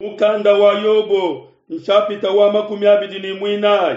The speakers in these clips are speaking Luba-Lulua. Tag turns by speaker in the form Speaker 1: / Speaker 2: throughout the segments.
Speaker 1: Mukanda wa Yobo nshapita wa 24.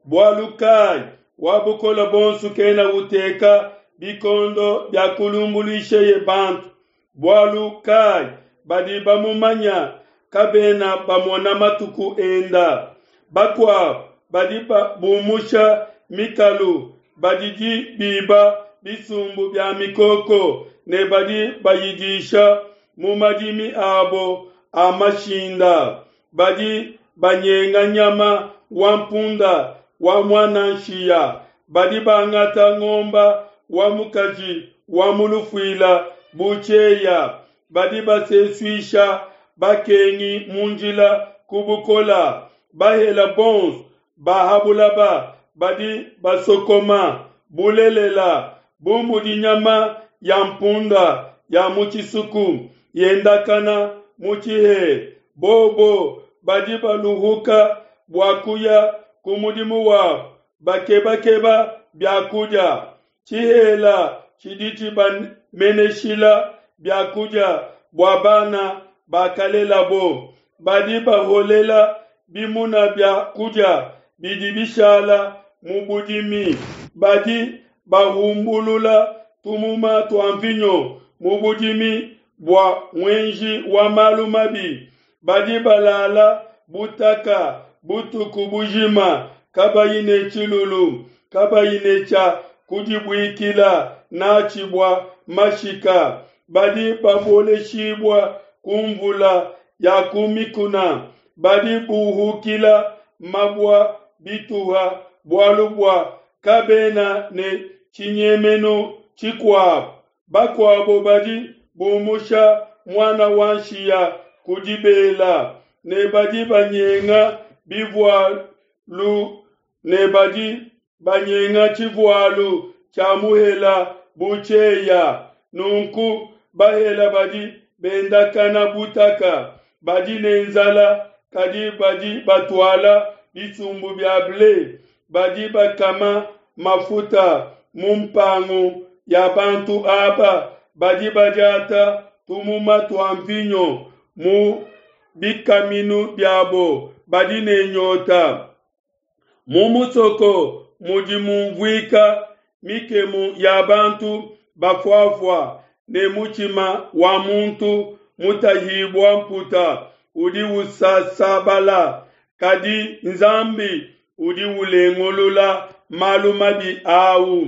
Speaker 1: Bualu kayi Wa Bukole Buonso kena uteka bikondo bia kulumbuluisheye bantu? Bualu kayi badi bamumanya kabena bamona matuku enda? Bakuabu badi bumusha mikalu, badi biba bisumbu bia mikoko ne badi bayidisha mu madimi abo a mashinda. Badi banyenga nyama wa mpunda wa muana nshiya, badi bangata ngomba wa mukaji wa mu lufuila bu tshieya, badi basesuisha bakengi mu njila ku bukola, bahela bonso ba ha bulaba badi basokoma. Bulelela, bu mudi nyama ya mpunda ya mu tshisuku yendakana mu tshihela, bobo badi baluhuka bua kuya ku mudimu wabo, bakebakeba bia kudia. Tshihela tshidi tshibameneshila bia kudia bua bana bakalelabo. Badi baholela bimuna bia kudia bidi bishala mu budimi. Badi bahumbulula tumuma tua mvinyo mu budimi bua muenji wa malu mabi. Badi balala butaka butuku bujima kabayi ne tshilulu, kabayi ne tshia kudibuikila natshi bua mashika. Badi baboleshibua ku mvula ya ku mikuna, badi buhukila mabua bituha, bualu bua kabena ne tshinyemenu tshikuabo. Bakuabo badi bumusha muana wa nshiya ku dibela, ne badi banyenga bivualu ne badi banyenga tshivualu tshia muhela bu tshieya. Nunku bahela badi bendakana butaka, badi ne nzala, kadi badi batuala bisumbu bia ble, badi bakama mafuta mu mpangu ya bantu aba, badi badiata tumuma tua mvinyo mu bikaminu biabo, badi ne nyota. Mu musoko mudi mumvuika mikemu ya bantu bafuafua, ne mutshima wa muntu mutahibua mputa udi usasabala, kadi Nzambi udi ulengulula malu mabi au.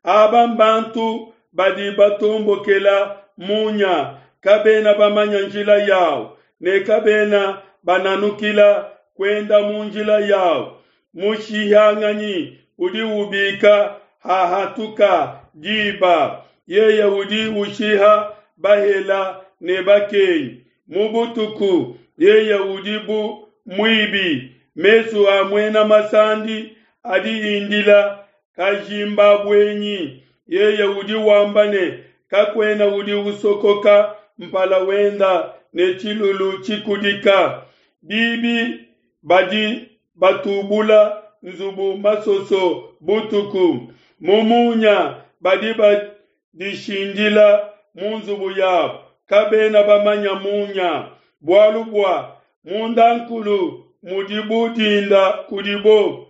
Speaker 1: Aba mbantu badi batombokela munya, kabena bamanya njila yau, ne kabena bananukila kuenda mu njila yau. Mushihanganyi udi ubika hahatuka diba, yeye udi ushiha bahela ne bakengi. Mu butuku yeye udi bu muibi, mesu a muena masandi adi indila kajimbabuenyi. Yeye udi wamba ne, kakuena udi usokoka mpala wenda ne tshilulu tshikudika. Bibi badi batubula nzubu masoso butuku, mu munya badi badishindila mu nzubu yabo, kabena bamanya munya, bualu bua mundankulu mudi bu dinda kudibo.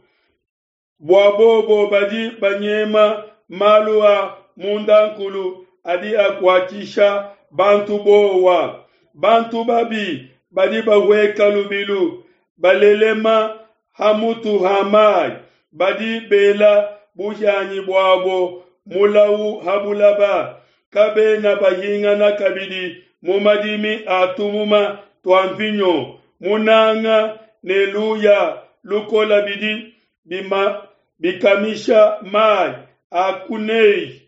Speaker 1: Bua bobo badi banyema malu a mundankulu adi akuatshisha bantu bowa. Bantu babi badi bahueka lubilu, balelema ha mutu ha mai, badi bela buhianyi buabo mulau ha bulaba, kabena bahingana kabidi mu madimi a tumuma tua mvinyo. Munanga ne luya lukola bidi bima bikamisha mai a kunei.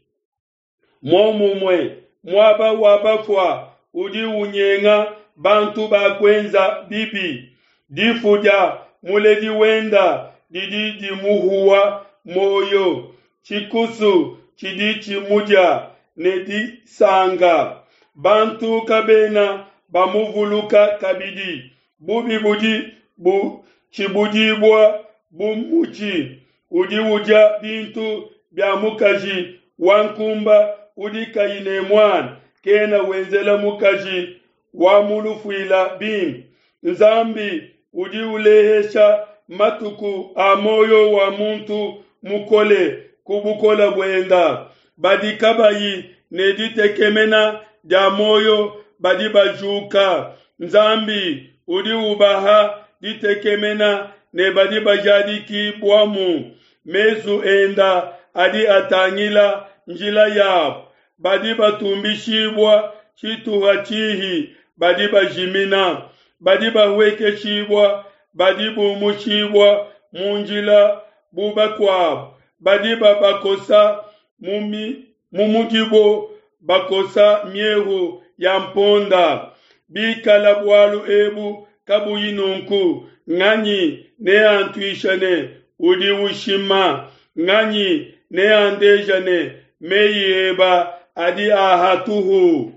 Speaker 1: Momumue muaba wa bafua udi unyenga bantu bakuenza bibi. Difu dia muledi wenda didi dimuhua muoyo, tshikusu tshidi tshimudia ne disanga. Bantu kabena bamuvuluka kabidi. Bubi budi butshibudibua bu mutshi udi udia bintu bia mukaji wa nkumba udi kayi ne muana, kena wenzela mukaji wa mu lufuila bimpe. Nzambi udi ulehesha matuku a muoyo wa muntu mukole ku bukole buenda. Badi kabayi ne ditekemena dia muoyo badi bajuka. Nzambi udi ubaha ditekemena ne badi bajadikibuamu. Mesu enda adi atangila njila yabo. Badi batumbishibua tshituha tshihi badi bajimina. Badi bahuekeshibua badi bumushibua mu njila bu bakuabo. Badi babakosa mu mudibo bakosa miehu ya mponda. Bikala bualu ebu kabuyi nunku, nganyi neantuisha ne udi ushima? Nganyi neandeja ne meyi eba adi a hatuhu?